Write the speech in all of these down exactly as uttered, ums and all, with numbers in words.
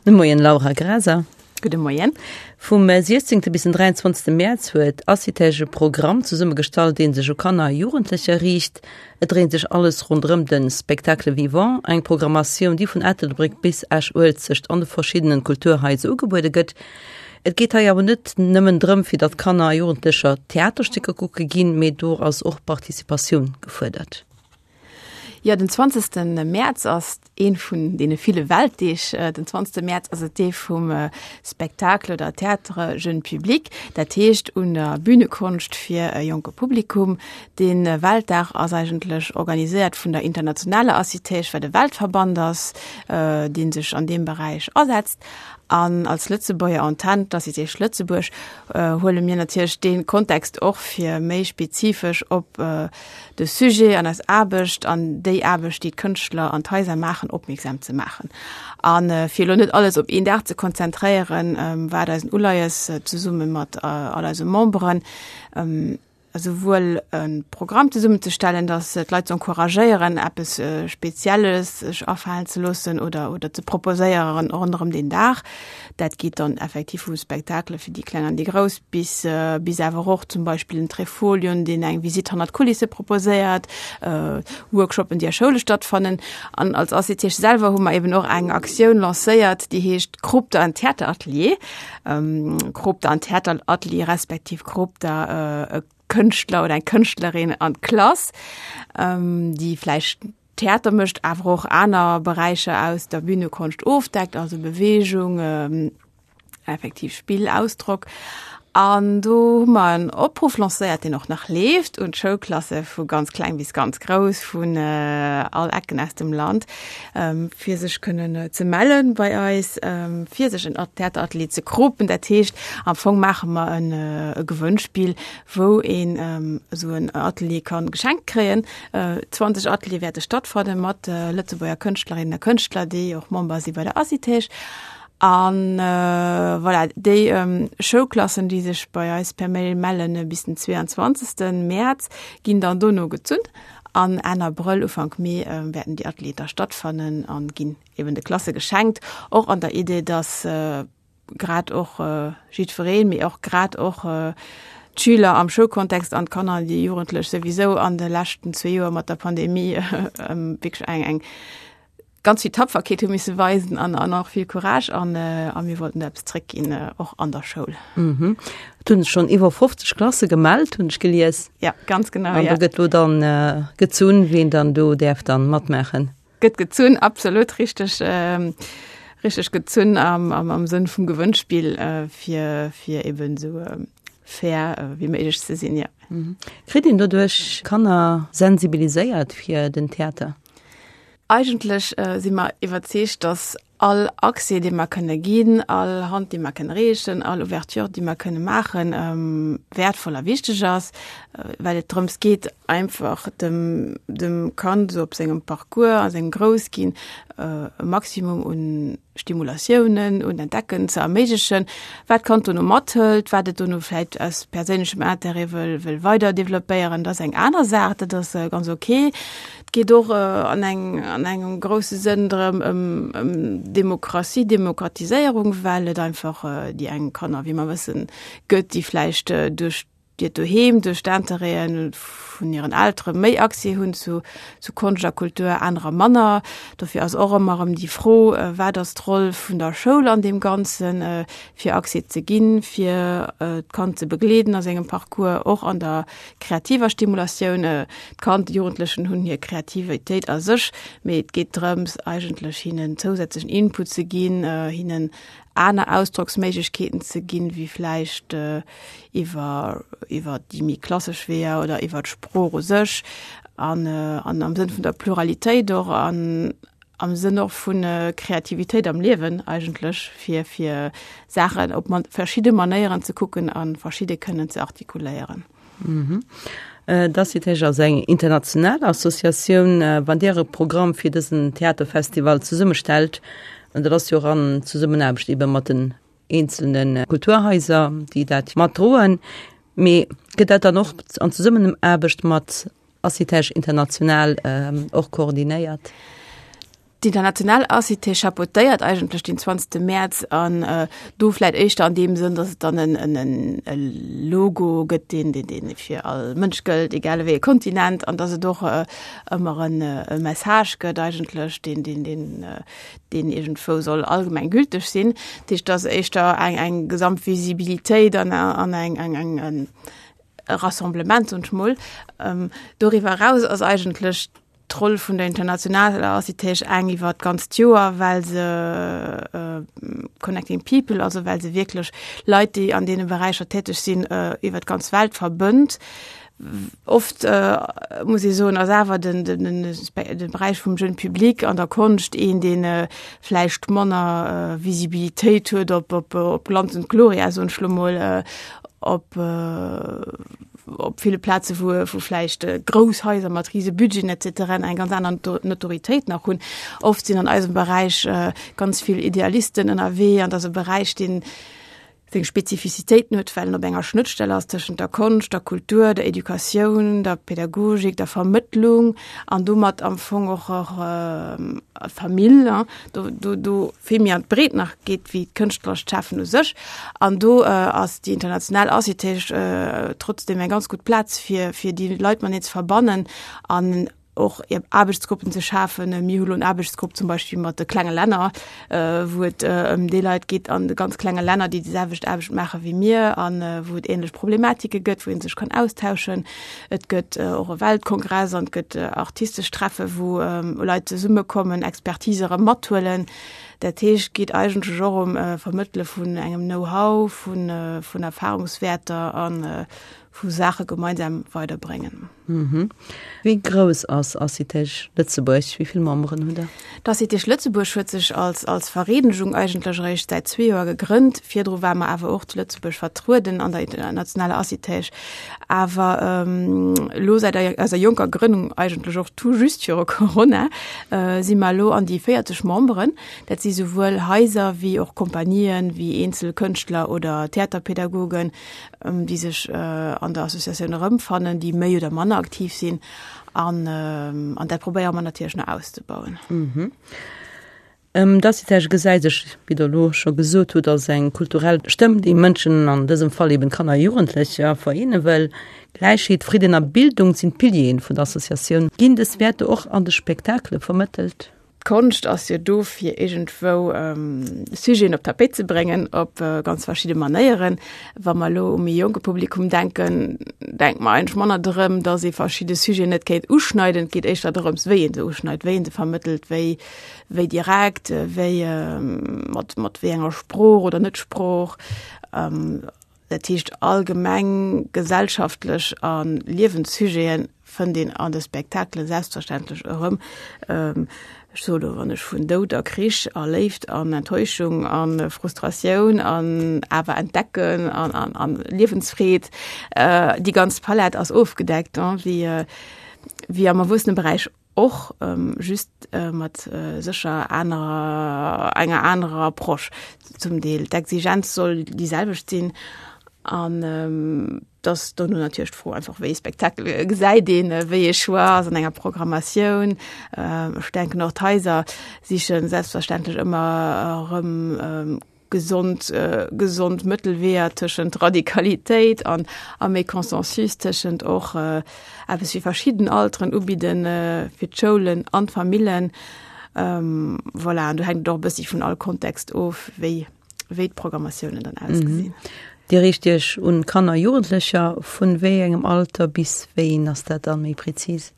De Moien Laura Graser. Gudde Moien. Vum siechzéngte bis den dräianzwanzegste Mäerz huet ACITEG e Programm zesummegestallt, dee sech u Kanner a Jugendlecher riicht. Et dréint sech alles ronderëm de Spectacle vivant, eng Programmatioun, déi vun Ettelbréck bis Esch-Uelzecht an de verschiddenen Kulturhaiser ugebuede gëtt. Et geet hei awer net nëmmen drëm, fir datt Kanner a Jugendlecher Theaterstécker kucke ginn, mee do ass och Participatioun gefuerdert. Jo, den zwanzegste Mäerz ass ee vun deene ville Weltdeeg. Den zwanzegste Mäerz ass et dee vum Spectacle oder Théâtre jeune public, dat heescht un der Bühnekonscht fir e jonke Publikum. Dee Weltdag ass eigentlech organiséiert vun der internationaler ACITEG, wat e Weltverband ass, dee sech an deem Beräich asetzt. An als Lëtzebuerger Antenn, d'ACITEG Lëtzebuerg, huele mir natierlech dee Kontext och fir méi spezifesch op de Sujet an eis Aarbecht an déi Aarbecht, déi d'Kënschtler an d'Haiser maachen, opmierksam ze maachen. A fir elo net alles op een Dag ze konzentréieren, war et eis en Uleies, zesumme mat all eise Memberen esouwuel e Programm zesummenzestellen, datt d'Leit ze encouragéieren, eppes Spezielles sech afalen ze loossen oder oder ze proposéieren ronderëm deen Dag. Dat geet dann effektiv vu Spektakele fir déi Kleng an déi Grouss bis bis awer och zum Beispill en Trifolion, deen eng Visitt hannert d'Kulisse proposéiert, Workshoppen, déi a Schoule stattfannen. An als ACTH selwer hu mer eben och eng Aktioun lancéiert, déi heescht Krop der en Theateratelier. Krop der en Theateratelier respektiv Krop der e Kënschtler oder eng Kënschtlerin an d'Klass, déi vläicht Theater mécht, awer och aner Beräicher aus der Bühnekonscht ofdeckt, also Beweegung, effektiv Spill, Ausdrock. An do hu mer en Opruff lancéiert, deen och nach leeft, un d'Schoulklasse vu ganz kleng bis ganz grouss, vun all Ecken aus dem Land, fir sech kënnen ze melle bei eis, fir sech en Theateratelier ze kropen. Dat heescht, am Fong maache mer e Gewënnspill, wou een esou en Atelier ka geschenkt kréien. zwanzeg Ateliere wäerte stattfanne mat Lëtzebuerger Kënschtlerinnen a Kënschtler, déi och Member si bei der ACITEG. An voilà, déi Schoulklassen, déi sech bei eis per Mail mellen bis den zweeanzwanzegste Mäerz, ginn dann dono gezunn. An Enn Abrëll, Ufank Mee wäerten déi Atelieren da stattfannen a ginn eben de Klasse geschenkt, och an der Idee, dass grad och jiddwereen, mee och grad och d'Schüler am Schoulkontext an d'Kanner an déi Jugendlech souwisou an de leschten zwee Joer mat der Pandemie wierklech eng eng ganz vill Tapferkeet hu misse weisen an an och vill Courage an a mir wollten do eppes zréckginn, och an der Schoul. Mhm. Et hunn sech schonn iwwer fofzeg Klasse gemellt, hunn ech gelies. Ja, ganz genau, ja. An do gëtt lo dann gezunn, wien dann do däerf dann matmaachen. Gëtt gezunn, absolut richteg, richteg gezunn am am am Sënn vum Gewënnspill, fir fir eben esou fair wéi méiglech ze sinn, ja. Kritt een doduerch Kanner sensibiliséiert fir den Theater? Eigentlech si mer iwwerzeegt, dass all Accès, dee mer kënne ginn, all Hand, déi mer kënne reechen, all Ouverture, déi mer kënne maachen, wäertvoll a wichteg ass, well et drëms geet, einfach dem, dem Kand esou op sengem Parcours, a sengem Groussginn e Maximum un Stimulatiounen, un Entdecken ze erméiglechen, wat d'Kand dono mathëlt, wat et dono vläicht aus perséinlechem Intérêt wëll, wëll weider developpéieren, dat ass eng aner Saach, dat ass ganz ok. Et geet och an eng, an engem grousse Sënn drëm, ëm, ëm Demokratie, Demokratiséierung, well et einfach déi eng Kanner, wéi mer wëssen, gëtt, déi vläicht duerch hiert Doheem, duerch d'Intérêten vun hiren Eltere méi Accès hunn zu, zu Konscht a Kultur, anerer manner. Dofir ass och ëmmer erëm déi Fro, Wat ass d'Roll vun der Schoul an deem Ganzen, fir Accès ze ginn, fir d'Kand ze begleeden a sengem Parcours, och an der kreativer Stimulatioun? D'Kand, d'Jugendlechen hunn hir Kreativitéit a sech, mee et geet drëms, eigentlech hinnen zousätzlechen Input ze ginn, hinnen aner Ausdrocksméiglechkeeten ze ginn, wéi vläicht iwwer iwwer déi méi klassesch Weeër oder iwwer d'Sprooch u sech, an an am Sënn vun der Pluralitéit och an am Sënn och vu Kreativitéit am Liewen eigentlech, fir fir Saachen op verschidde Manéieren ze kucken a verschidde kënnen ze artikuléieren. D'ACITEG ass eng international Associatioun. Wann Dir e Programm fir dësen Theaterfestival zesummestellt, an dat ass jo och an Zesummenaarbecht ebe mat den eenzelne Kulturhaiser, déi dat matdroen, mee gëtt dat dann och an Zesummenaarbecht mat ACITEG international och koordinéiert? D'International ACITEG chapeautéiert eigentlech den zwanzegste Mäerz an do vläit éischter an deem Sënn, datt et dann en, en, en e Logo gëtt, deen, deen, deen fir all Mënsch gëllt, egal wéi e Kontinent, an datt et och ëmmer en e Message gëtt eigentlech, deen, deen, deen, deen iergendwou soll allgemeng gülteg sinn. Dat heescht, et ass éischter eng, eng Gesamtvisibilitéit an, an eng, eng, eng, en Rassemblement, soen ech mol. Doriwwer eraus ass eigentlech d'Roll vun der internationaler ACITEG eng iwwer d'ganzt Joer, well se Connecting People, also well se wierklech Leit, déi an deene Beräicher täteg sinn, iwwer d'ganz Welt verbënnt. Oft muss ee soen, ass awer den, den, de Beräich vum Jeune Public an der Konscht een, dee vläicht manner Visibilitéit huet op, op, op Glanz und Gloria, soen ech lo mol, op op ville Plaze wou wou vläicht grouss Haiser mat rise Budgeten et cetera eng ganz aner Notoritéit nach hunn. Oft sinn an eisem Beräich ganz vill Idealisten ënnerwee an dat ass e Beräich, deen seng Spezifizitéiten huet, well en op enger Schnëttstell ass tëschent der Konscht, der Kultur, der Educatioun, der Pädagogik, der Vermëttlung an domat am Fong och och Famill, do do do vill méi an d'Breet nach geet wéi d'kënschtlerescht Schafen u sech. An do ass déi international ACITEG trotzdeem eng ganz gutt Plaz fir fir déi Leit matenee ze verbannen an och Aarbechtsgruppen ze schafen. Mir hu lo en Aarbechtsgrupp zum Beispill mat de klenge Länner, wou et ëm déi Leit geet an de ganz klenge Länner, déi déi selwecht Aarbecht maache wéi mir an wou et änlech Problematike gëtt, wou ee sech kann austauschen. Et gëtt och e Weltkongress an et gëtt artistesch Treffe wou Leit zesummekommen, Expertise erëm mathuelen. Dat heescht, et geet eigentlech och ëm Vermëttele vun engem Know-how, vun vun Erfahrungswäerter a vu Saache gemeinsam weiderbréngen. Wéi grouss ass ACITEG Lëtzebuerg? Wéi vill Memberen hutt Der? D'ACITEG Lëtzebuerg huet sech als als Vereenegung eigentlech eréischt säit zwee Joer gegrënnt. Virdru ware mer awer och zu Lëtzebuerg vertrueden an der internationaler ACITEG. Awer elo säit eiser jonker Grënnung, eigentlech och tout juste viru Corona, si mer elo an déi véierzeg Memberen. Dat si souwuel Haiser wéi och Kompanien, wéi eenzel Kënschtler oder Theaterpädagogen, déi sech an der Associatioun erëmfannen, déi méi oder manner aktiv sinn. An an dat probéiere mer natierlech nach auszebauen. D'ACITEG gesäit sech, wéi Der elo scho gesot hutt, als eng kulturell Stëmm, déi Mënschen, an dësem Fall eben Kanner a Jugendlecher, vereene wëll. Gläichheet, Fridden a Bildung sinn d'Pilieren vun der Associatioun. Ginn dës Wäerter och an de Spektakele vermëttelt? D'Konscht ass jo do fir iergendwou Sujeten op d'Tapéit ze bréngen op ganz verschidde Manéieren. Wa mer elo u méi jonke Publikum denken, denke mer eigentlech manner drëm, datt ee verschidde Sujeten net kéint uschneiden. Et geet éischter drëms, wéi ee se uschneit, wéi ee se vermëttelt, wéi wéi direkt, wéi mat mat wéi enger Sprooch oder net Sprooch. Dat heescht allgemeng gesellschaftlech a Liewenssujete fënnt een an de Spektakele selbstverständlech erëm. Ech soe lo, wann ech vun Doud a Krich a Léift an Enttäuschung a Frustratioun an awer Entdecken an an an Liewensfreed, déi ganz Palett ass ofgedeckt, wéi wéi am Erwuesseneberäich och, just mat sécher anerer, enger anerer Approche zum Deel. D'Exigenz soll déi selwecht sinn an et ass dono natierlech d'Fro einfach, wéi ee Spektakel gesäit een, wéi ee Choix ass an enger Programmatioun. Ech denken och d'Haiser siche selbstverständlech ëmmer erëm gesond, gesond Mëttelweeër tëschent Radikalitéit an a méi Consensus, tëschent och eppes fir verschidden Alteren ubidden, fir d'Schoulen an d'Famillen. Voilà, an do hänkt et och e bëssi vun all Kontext of, wéi, wéi d'Programmatiounen dann ausgesinn. Dir riicht Iech un Kanner a Jugendlecher. Vun wéi engem Alter bis wéieen ass dat dann méi präzis?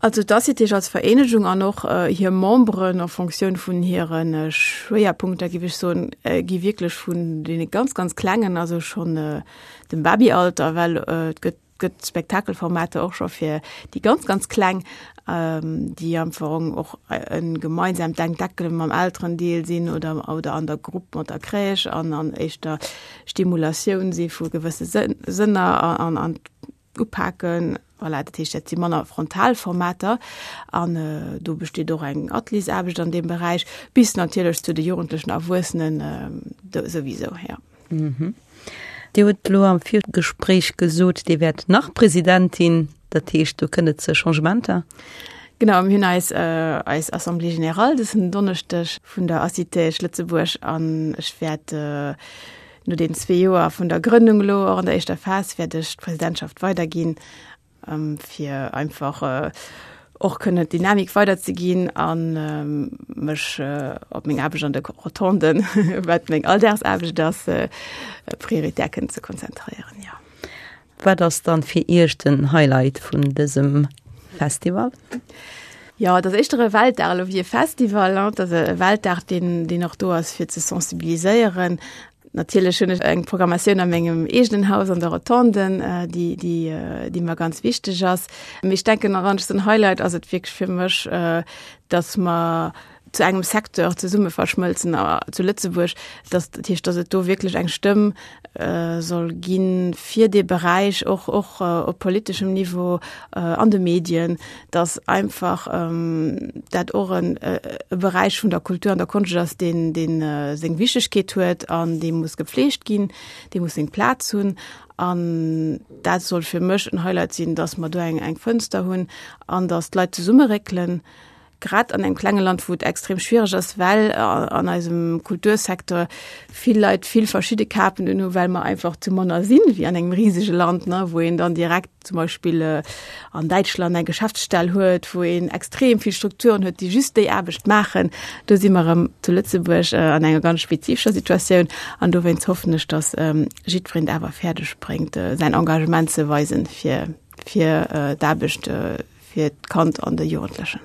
Also d'ACITEG als Vereenegung an och hir Memberen en Fonctioun vun hire Schwéierpunkter, géif ech soen, gi wierklech vun deene ganz, ganz Klengen, also schonn dem Babyalter, well et gëtt gëtt Spektakelformater och scho fir déi ganz, ganz Kleng, déi am Fong och e gemeinsaamt Entdecke mam Elterendeel sinn oder oder an der Grupp mat der Crèche an an éischter Stimulatioun si vu gewësse Sënner an an upaken. Voilà, dat heescht, dat si manner frontal Formater an do besteet och eng Ateliersaarbecht an deem Beräich, bis natierlech zu de Jugendlechen, Erwuessenen souwisou, jo. Dir hutt elo am Virgespréich gesot, Dir wäert nach Presidentin, dat heescht, do kënnt et zu Changementer? Genau, mir hunn eis, äh, eis Assemblée générale dësen Donneschdeg vun der ACITEG Lëtzebuerg an ech wäert äh, no den zwee Joer vun der Grënnung elo och an der éischter Phas wäert ech d'Presidentschaft weiderginn, ähm, fir einfach äh, och kënnen d'Dynamik weiderzeginn an ähm, mech äh, op meng Aarbecht an de Rotonden, wat meng Alldagsaarbecht ass, äh, prioritär kënnen ze konzentréieren, ja. Wat ass dann fir Iech den Highlight vun dësem Festival? Ja, dat ass éischter e Weltdag elo wéi e Festival. Dat ass e Weltdag, deen, deen och do ass fir ze sensibiliséieren. Natierlech hunn ech eng Programmatioun a mengem eegenen Haus an der Rotonden, äh, déi, déi, äh, déi mer ganz wichteg ass. Mee ech denken, wann ech den Highlight ass et wierklech fir mech, äh, dass mer zu engem Secteur zesumme verschmëlzen äh, zu Lëtzebuerg, dass, dat heescht, dass et do wierklech eng Stëmm äh, soll ginn fir dee Beräich, och, och äh, op politeschem Niveau äh, an de Medien, dass einfach ähm, dat och en äh, e Beräich vun der Kultur an der Konscht ass, deen, deen äh, seng Wichtegkeet huet an dee muss gepflegt ginn, dee muss seng Plaz hunn. An dat soll fir mech en Highlight sinn, dass mer do eng, eng Fënster hunn an dass d'Leit zesummeréckelen, grad an engem klenge Land, wou et extrem schwiereg ass, well an eisem Kultursecteur vill Leit vill verschidde Kapen unhu, well mer einfach zu manner sinn wéi an engem risege Land, ne, wou een dann direkt zum Beispill äh, an Däitschland eng Geschäftsstell huet, wou een extrem vill Strukturen huet, déi just déi Aarbecht maachen. Do si mer erëm zu Lëtzebuerg äh, an enger ganz spezifescher Situatioun an dowéinst hoffen ech, dass ähm, jiddwereen awer fäerdeg bréngt, äh, säin Engagement ze weisen fir fir äh, d'Aarbecht äh, fir d'Kand an de Jugendlechen.